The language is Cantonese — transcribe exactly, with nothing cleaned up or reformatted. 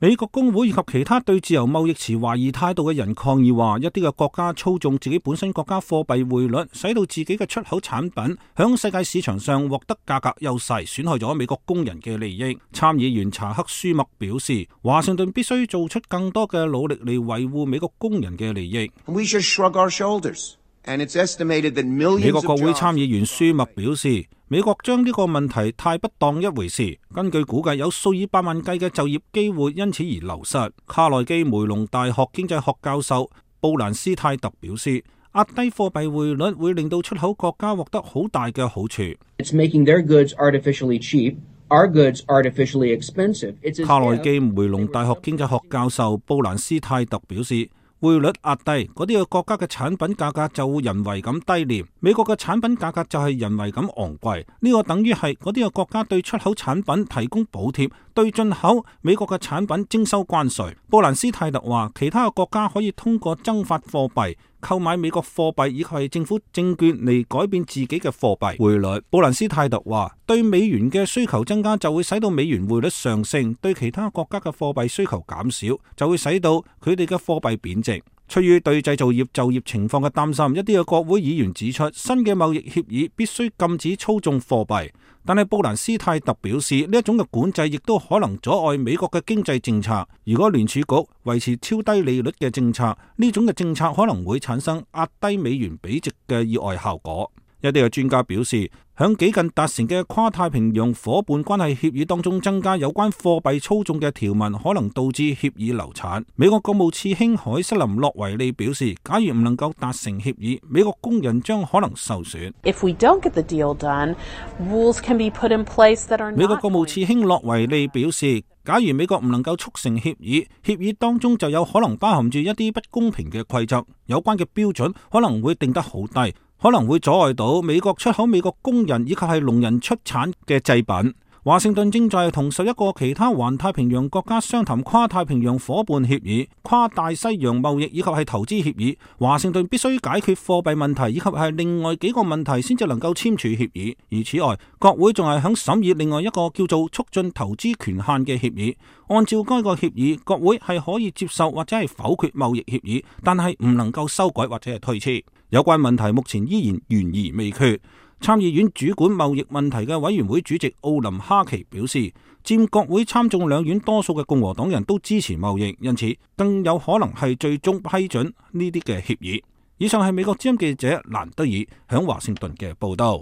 美國工會以及其他對自由貿易持懷疑態度嘅人抗議話，一啲嘅國家操縱自己本身國家貨幣匯率，使到自己嘅出口產品響世界市場上獲得價格優勢，損害咗美國工人嘅利益。參議員查克舒默表示，華盛頓必須做出更多嘅努力嚟維護美國工人嘅利益。We should shrug our shoulders. And it's estimated that millions 美國國會參議員舒默表示，美國將呢個問題太不當一回事。根據估計，有數以百萬計嘅就業機會因此而流失。卡內基梅隆大學經濟學教授布蘭斯泰特表示，壓低貨幣匯率會令到出口國家獲得好大嘅好處。It's making their goods artificially cheap, our goods artificially expensive. It's 卡內基梅隆大學經濟學教授布蘭斯泰特表示，匯率壓低，嗰啲嘅國家嘅產品價格就會人為咁低廉，美國嘅產品價格就係人為咁昂貴。呢個等於係嗰啲嘅國家對出口產品提供補貼，對進口美國嘅產品徵收關稅。布蘭斯泰特話，其他嘅國家可以通過增發貨幣、購買美國貨幣以及係政府證券嚟改變自己嘅貨幣匯率。布蘭斯泰特話，對美元嘅需求增加就會使到美元匯率上升，對其他國家嘅貨幣需求減少就會使到佢哋嘅貨幣貶值。出於對製造業就業情況嘅擔心，一啲嘅國會議員指出，新嘅貿易協議必須禁止操縱貨幣。但係布蘭斯泰特表示，呢一種嘅管制亦都可能阻礙美國嘅經濟政策。如果聯儲局維持超低利率嘅政策，呢種嘅政策可能會產生壓低美元貶值嘅意外效果。一啲嘅專家表示，響幾近達成嘅跨太平洋夥伴關係協議當中，增加有關貨幣操縱嘅條文，可能導致協議流產。美國國務次卿凱瑟琳洛維利表示，假如唔能夠達成協議，美國工人將可能受損。If we don't get the deal done, rules can be put in place that are not. 美國國務次卿洛維利表示，假如美國唔能夠促成協議，協議當中就有可能包含住一啲不公平嘅規則，有關嘅標準可能會定得好低，可能會阻礙到美國出口美國工人以及係農人出產嘅製品。華盛頓正在同十一個其他環太平洋國家商談跨太平洋夥伴協議、跨大西洋貿易以及係投資協議。華盛頓必須解決貨幣問題以及係另外幾個問題先至能夠簽署協議。而此外，國會仲係響審議另外一個叫做促進投資權限嘅協議。按照該個協議，國會係可以接受或者係否決貿易協議，但係唔能夠修改或者係推遲。有關問題目前依然懸而未決。參議院主管貿易問題嘅委員會主席奧林哈奇表示，佔國會參眾兩院多數嘅共和黨人都支持貿易，因此更有可能係最終批准呢啲嘅協議。以上係美國之音記者蘭德爾響華盛頓嘅報道。